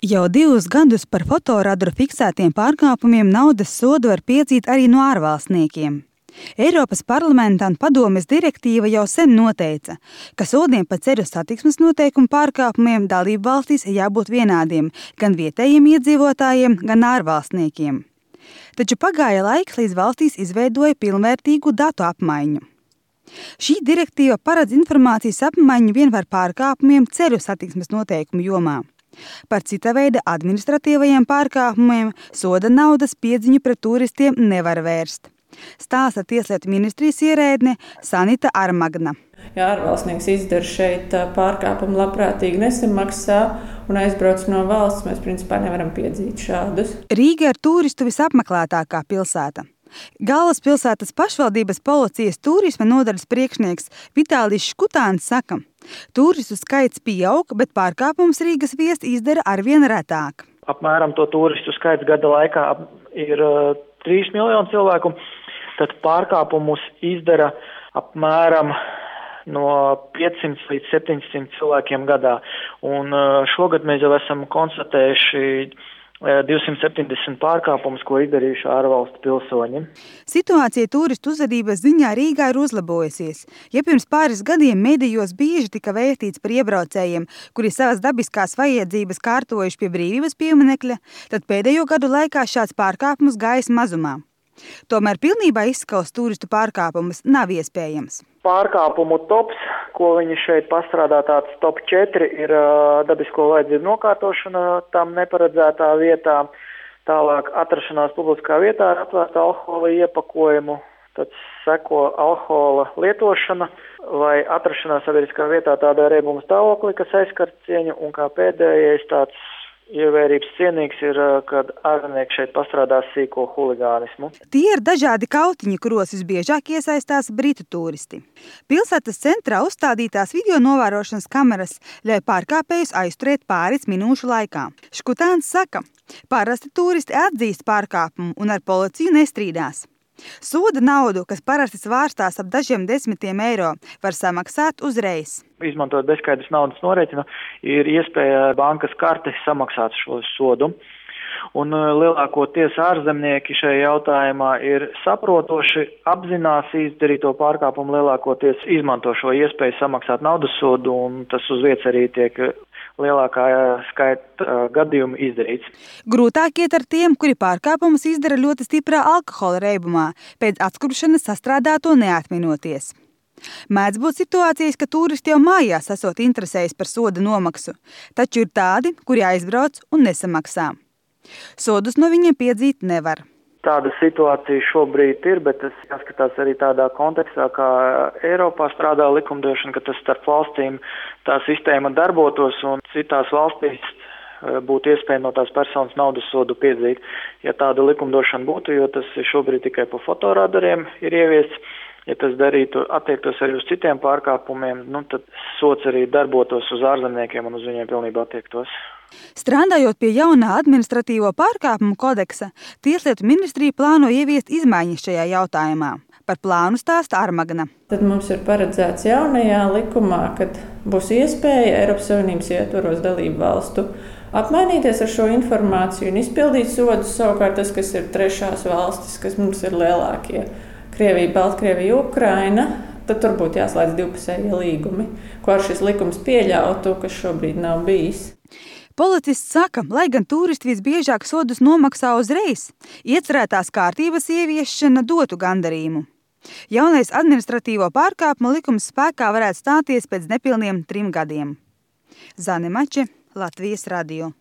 Jau 2 gadus par fotoradaru fiksētiem pārkāpumiem naudas sodu var piedzīt arī no ārvalstniekiem. Eiropas parlamenta un padomes direktīva jau sen noteica, ka sodiem par ceļu satiksmes noteikumu pārkāpumiem dalību valstīs jābūt vienādiem gan vietējiem iedzīvotājiem, gan ārvalstniekiem. Taču pagāja laiks, līdz valstīs izveidoja pilnvērtīgu datu apmaiņu. Šī direktīva paredz informācijas apmaiņu vien par pārkāpumiem ceļu satiksmes noteikumu jomā. Par cita veida administratīvajiem pārkāpumiem soda naudas piedziņu pret turistiem nevar vērst. Stāsta Tieslietu ministrijas ierēdne Sanita Armagna. Ja ārvalstnieks izdara šeit pārkāpumu, labprātīgi nesamaksā un aizbrauc no valsts, mēs principā nevaram piedzīt šādus. Rīga ir turistu visapmeklētākā pilsēta. Galvaspilsētas pašvaldības policijas turisma nodaļas priekšnieks Vitālijs Škutāns saka, turistu skaits pieaug, bet pārkāpums Rīgas viesti izdara arvien retāk. Apmēram to turistu skaits gada laikā ir 3 miljoni cilvēku, tad pārkāpumus izdara apmēram no 500 līdz 700 cilvēkiem gadā. Un šogad mēs jau esam konstatējuši 270 pārkāpumus, ko izdarījuši ārvalstu pilsoņi. Situācija turistu uzvedības ziņā Rīgā ir uzlabojusies. Ja pirms pāris gadiem medijos bieži tika vēstīts par iebraucējiem, kuri savas dabiskās vajadzības kārtojuši pie Brīvības pieminekļa, tad pēdējo gadu laikā šāds pārkāpums gājis mazumā. Tomēr pilnībā izskaust turistu pārkāpumus nav iespējams. Pārkāpumu tops, ko viņi šeit pastrādā, tāds top 4 ir dabisko vajadzību nokārtošana tam neparedzētā vietā, tālāk atrašanās publiskā vietā ar atvērtu alkohola iepakojumu, tad seko alkohola lietošana vai atrašanās sabiedriskā vietā tādā riebuma stāvoklī, kas aizskar cieņu, un kā pēdējais tāds ievērības cienīgs ir, kad ārzemnieki šeit pastrādās sīko huligānismu. Tie ir dažādi kautiņi, kuros visbiežāk iesaistās britu turisti. Pilsētas centrā uzstādītās video novērošanas kameras ļauj pārkāpējus aizturēt pāris minūšu laikā. Škutāns saka, parasti turisti atzīst pārkāpumu un ar policiju nestrīdās. Soda naudu, kas parasti svārstās ap dažiem desmitiem eiro, var samaksāt uzreiz. Izmantojot bezskaidras naudas norēķinu, ir iespēja bankas karti samaksāt šo sodu. Un lielākoties ārzemnieki šajā jautājumā ir saprotoši, apzinās izdarīto pārkāpumu, lielākoties izmanto šo iespēju samaksāt naudas sodu, un tas uz vietas arī tiek lielākā skaita gadījumu izdarīts. Grūtāk iet ar tiem, kuri pārkāpumus izdara ļoti stiprā alkohola reibumā, pēc atskuršanas sastrādāto neatminoties. Mēdz būt situācijas, ka turisti jau mājās esot interesējas par soda nomaksu, taču ir tādi, kuri aizbrauc un nesamaksā. Sodus no viņiem piedzīt nevar. Tāda situācija šobrīd ir, bet tas jāskatās arī tādā kontekstā, kā Eiropā strādā likumdošana, ka tas starp valstīm tā sistēma darbotos un citās valstīs būtu iespēja no tās personas naudas sodu piedzīt. Ja tāda likumdošana būtu, jo tas šobrīd tikai pa fotoradariem ir ieviests, ja tas darītu, attiektos arī uz citiem pārkāpumiem, tad sods arī darbotos uz ārzemniekiem un uz viņiem pilnībā attiektos. Strādājot pie jaunā administratīvo pārkāpumu kodeksa, Tieslietu ministrija plāno ieviest izmaiņas šajā jautājumā. Par plānu stāsta Armagna. Tad mums ir paredzēts jaunajā likumā, kad būs iespēja Eiropas Savienības ietvaros dalību valstu apmainīties ar šo informāciju un izpildīt sodus. Savukārt tas, kas ir trešās valstis, kas mums ir lielākie, Krievija, Baltkrievija, Ukraina, tad tur būtu jāslēdz divpusējie līgumi, ko ar šis likums pieļautu, kas šobrīd nav bijis. Policists saka, lai gan turisti visbiežāk sodus nomaksā uzreiz, iecerētās kārtības ieviešana dotu gandarījumu. Jaunais administratīvo pārkāpumu likums spēkā varētu stāties pēc nepilniem 3 gadiem. Zane Mače, Latvijas radio.